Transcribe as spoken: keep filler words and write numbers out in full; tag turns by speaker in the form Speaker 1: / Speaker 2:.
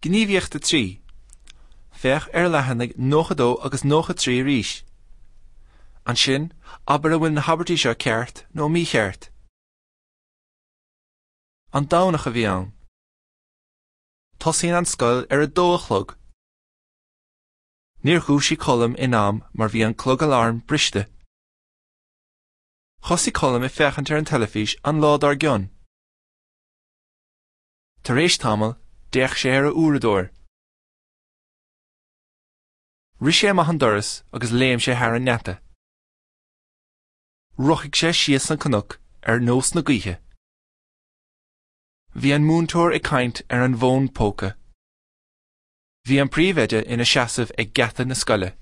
Speaker 1: Gníomhaíocht a trí. Féach ar leathanaigh nócha dó agus nócha trí arís. Ansin, abair an bhfuil na habairtí seo ceart nó mícheart. An Domhnach a bhí ann. Tosaíonn an scoil ar a dó a chlog. Níor dhúisigh Colm in am mar bhí an clog aláraim briste. Thosaigh Colm ag féachaint ar an teilifís an lá dár gcionn. Tar éis tamaill, d'fhéach sé ar a uaireadóir. Rith sé amach an doras agus léim sé thar an ngeata. Rothaigh sé síos an cnoc ar nós na gaoithe. Bhí an múinteoir ag caint ar an bhfón póca. Bhí an príomhoide ina seasamh ag geata na scoile.